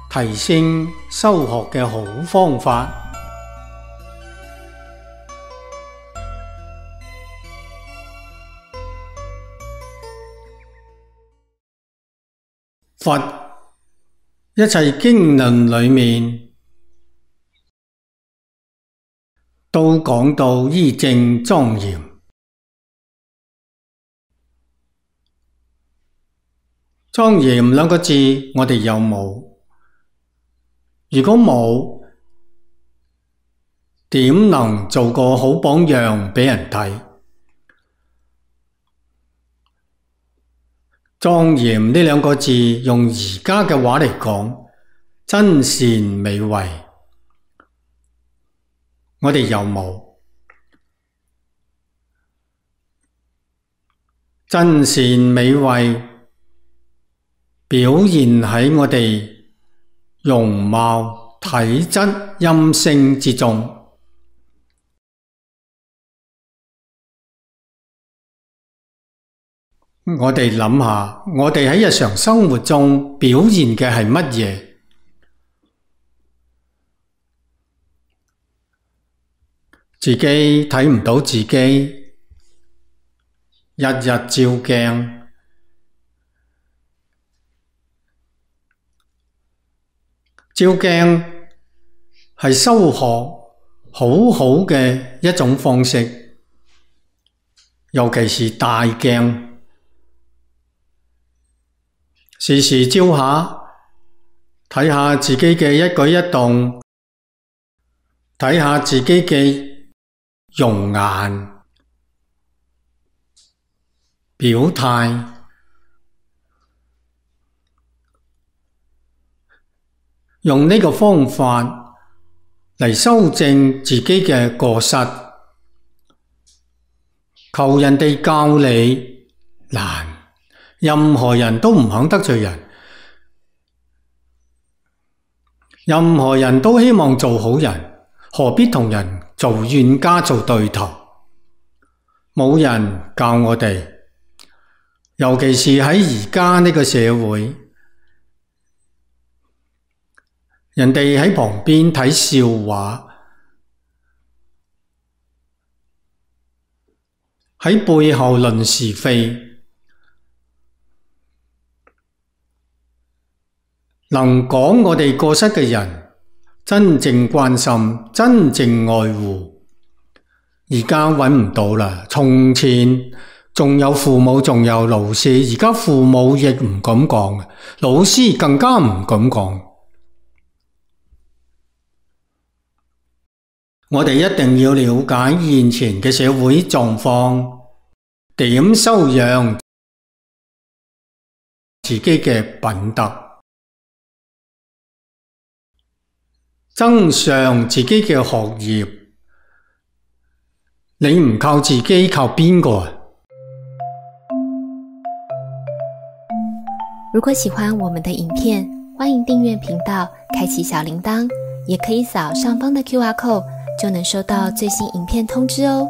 提升修學嘅好方法。佛一切經論裏面都講到依正莊嚴。莊嚴兩個字，我哋有冇？如果冇，點能做個好榜樣俾人睇？莊嚴呢兩個字，用而家嘅話嚟講，真善美慧，我哋有冇？真善美慧表現喺我哋容貌、體質、音聲之中。我哋諗下，我哋喺日常生活中表現嘅係乜嘢？自己睇唔到自己，日日照鏡，照鏡係修學好好嘅一種方式，尤其是大鏡。時時照下，睇下自己嘅一舉一動，睇下自己嘅容顏、表態，用呢個方法嚟修正自己嘅過失，求人哋教你難。任何人都唔肯得罪人，任何人都希望做好人，何必同人做冤家做對頭？冇人教我哋，尤其是喺而家呢個社會，人哋喺旁邊睇笑話，喺背後論是非。能講我哋過失嘅人，真正關心、真正愛護，而家揾唔到啦。從前仲有父母，仲有老師，而家父母亦唔敢講，老師更加唔敢講。我哋一定要了解現前嘅社會狀況，點修養自己嘅品德，增上自己嘅學業。你唔靠自己，靠邊個啊？如果喜歡我們的影片，歡迎訂閱頻道，開啟小鈴鐺，也可以掃上方的QR code，就能收到最新影片通知哦。